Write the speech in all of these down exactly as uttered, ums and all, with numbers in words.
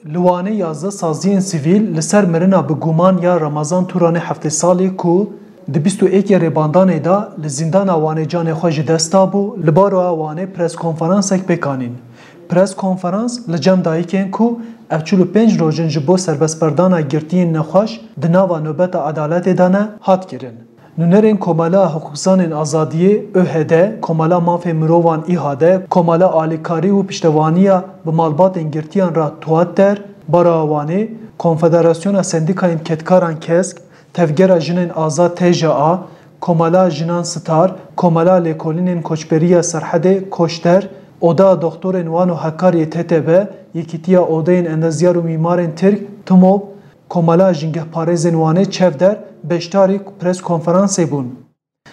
Li Wanê yazdeh saziyên sivîl li ser mirina bi guman ya Ramazan Turanê heftê salî ku di bîst û êkê Rêbandanê de li zîndana Wanê canê xwe ji dest dabû, li Baroya Wanê preskonferansek pêk anîn. Preskonferans li cem dayikên ku ev çil û pênc roj in ji bo serbestberdana girtiyên nexweş di nava nobeta edaletê de ne, hat kirin. Nûnerên Komela Hiqûqzanên Azadiyê, ÖHD, Komela Mafê Mirovan, ÎHD, Komela Alîkarî û Piştevaniya bi Malbatên Girtiyan re, TUATER, Baroya Wanê, Konfederasyona Sendîkayên Kedkaran, KESK, Tevgera Jinên Azad, TJA, Komela Jinan Star, Komela Lêkolînên Koçberiya Serhedê, KOŞTER, Oda Doxtorên Wan û Hekariyê, TTB, Yekîtiya Odeyên Endezyar û Mîmarên Tirk, TMOB, Komela Jîngehparêzên Wanê, ÇEVDER, beşdarî preskonferansê bûn.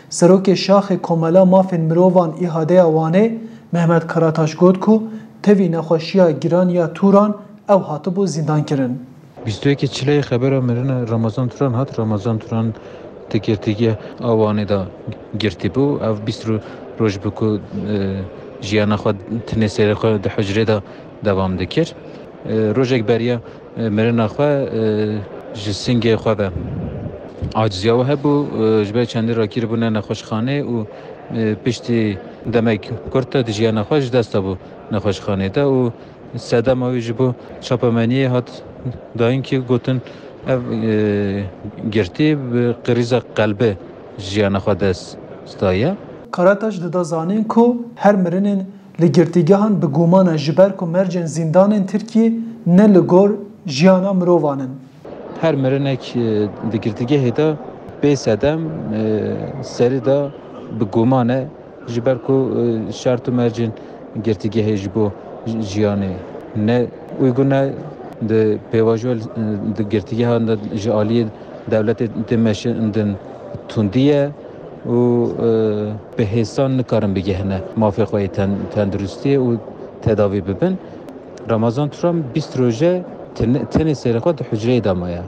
Serokê Şaxê Komela Mafên Mirovan, ÎHD'ya Wanê, Mehmet Karataş, got ku tevî nexweşiya giran ya Turan ew hatibû zîndankirin. Bîst û yekê Çileyê xebera mirina Ramazan Turan hat. Ramazan Turan di girtîgeha Wanê de girtî bû. Ev bîst ro-, roj bû ku, e, jiyana xwe tenê serê xwe di hucrê de dewam dikir. E, rojek beriya, e, mirina xwe, e, ji singê xwe ve aciziya wî hebû, e, ji ber çendî rakirî bûne nexweşxanê û, e, piştî demek kurt de di jiyana xwe ji dest dabû nexweşxanê de û sedema wî ji bo çapemeniyê hat dayîn ki gotin ev, e, girtî bi krîza qelbê jiyana xwe dest daye. Karataş dida zanîn ku her mirinên li girtîgehan bi guman e, ji ber ku mercên zîndanên Tirkiyê ne li gor jiyana mirovan in. Her mirinek, e, di girtîgehê de bê sedem, e, serî de bi guman e, ji ber ku, e, şert û mercên girtîgehê ji bo jiyanê ne uygun e, di pêvajoya, e, di girtîgehan de ji aliyê dewletê tê meşandin tundî ye û, e, bi hêsan nikarin bigihine mafê xwe yê ten-, tenduristiyê û tedavî bibin. Ramazan Turan bîst roje ten-, tenê serê xwe di hucreyê de maye.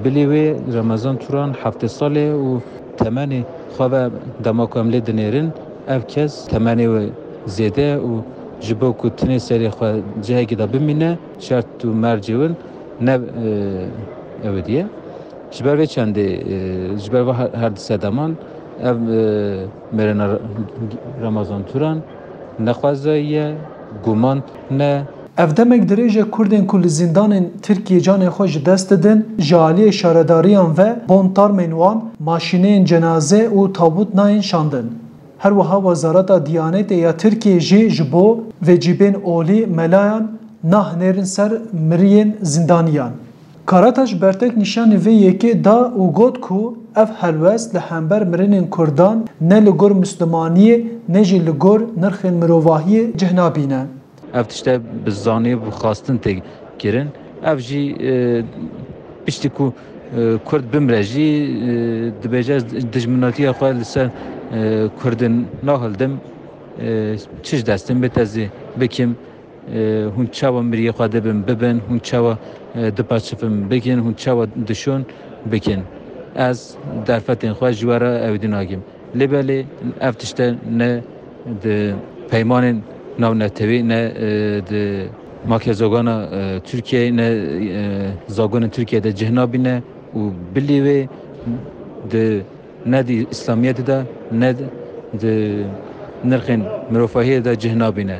Bilî wê Ramazan Turan heftê salê û temenê xwe ve dema ku em lê dinêrin, ev kes temenê wê zêde ye û ji bo ku tenê serê xwe cihekî de bimîne, şert û mercê win ne, e, ew diye. Ji ber vê çendê, e, ji ber ve her, her di sedeman ev, e, mirina Ramazan Turan nexwezayî ye, guman ne. Ev demek dirêj e Kurdên ku li zîndanên Tirkiyê canê xwe ji dest didin, ji aliyê şaredariyan ve bon tarmên wan, maşîneyên cenaze û tabût nayên şandin. Her wiha Wezareta Diyanetê ya Tirkiyê jî ji bo vecîbên olî melayan nahinêrin ser miriyên zîndaniyan. Karataş bertek nîşanî vê yekê da û got ku ev helwest li hember mirinên Kurdan ne li gor Mislimaniyê ne jî li gor nirxên mirovahiyê cih nabîne. Ev tişte bi zanî û bi xwastin tê kirin. Ev jî, e, piştî ku, e, Kurd bimre jî, e, dibêje, ez dijminatiya xwe li ser, e, Kurdin nahildim, e, çi ji destin bit ez ê bikim, e, hûn çawa miriyê xwe dibin bibin, hûn çawa, e, dipaçifin bikin, hûn çawa dişon bikin. Ez derfetên xwe ji we re ewdî nakim. Lê belê ev tişte ne di peymanên navnetewî, ne, e, di makezogana, e, Tirkiyeyê, ne, e, zagonên Tirkiyeyê de cih nabîne û bilî wê di, ne di Îslamiyetê de, ne di nirxên mirovahiyê de cih nabîne.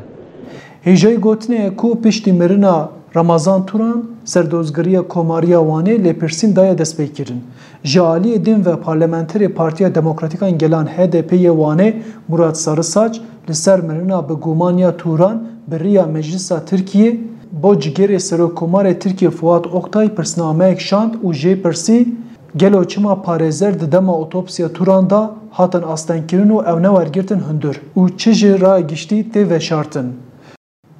Hêjayî gotinê ye ku piştî mirina Ramazan Turan, Serdozgeriya Komariya Wanê lêpirsîn daye destpêkirin. Ji aliyê din ve parlamenterê Partiya Demokratîkan Gelan, H D P, yê Wanê, Murat Sarısaç, li ser mirina bi guman ya Turan bi riya Meclisa Tirkiyê bo cigêrê Serokkomarê Tirkiyê Fuat Oktay pirsnameyek şand û jê pirsî, gelo çima parêzer di dema otopsiya Turan de hatin astengkirin û ew ne wergirtin hundir û çi ji raya giştî tê veşartin?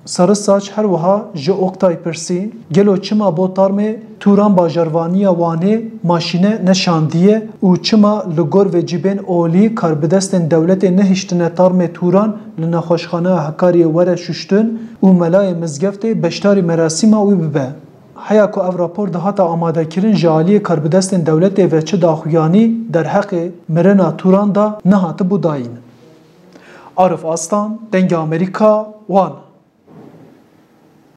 Sarısaç her wiha ji Oktay pirsî, gelo çima bo tarmê Turan bajarvaniya Wanê maşîne neşandiye û çima li gor vecîbên olî karbidestên dewletê nehiştine tarmê Turan li nexweşxaneya Hekariyê were şuştin û melayê mizgeftê beşdarî merasîma wî bibe? Heya ku ev rapor dihata amadekirin, ji aliyê karbidestên dewletê ve çi daxuyanî derheqê mirina Turan de nehatibû dayîn. Arif Aslan, Dengê Amerîka, Wan.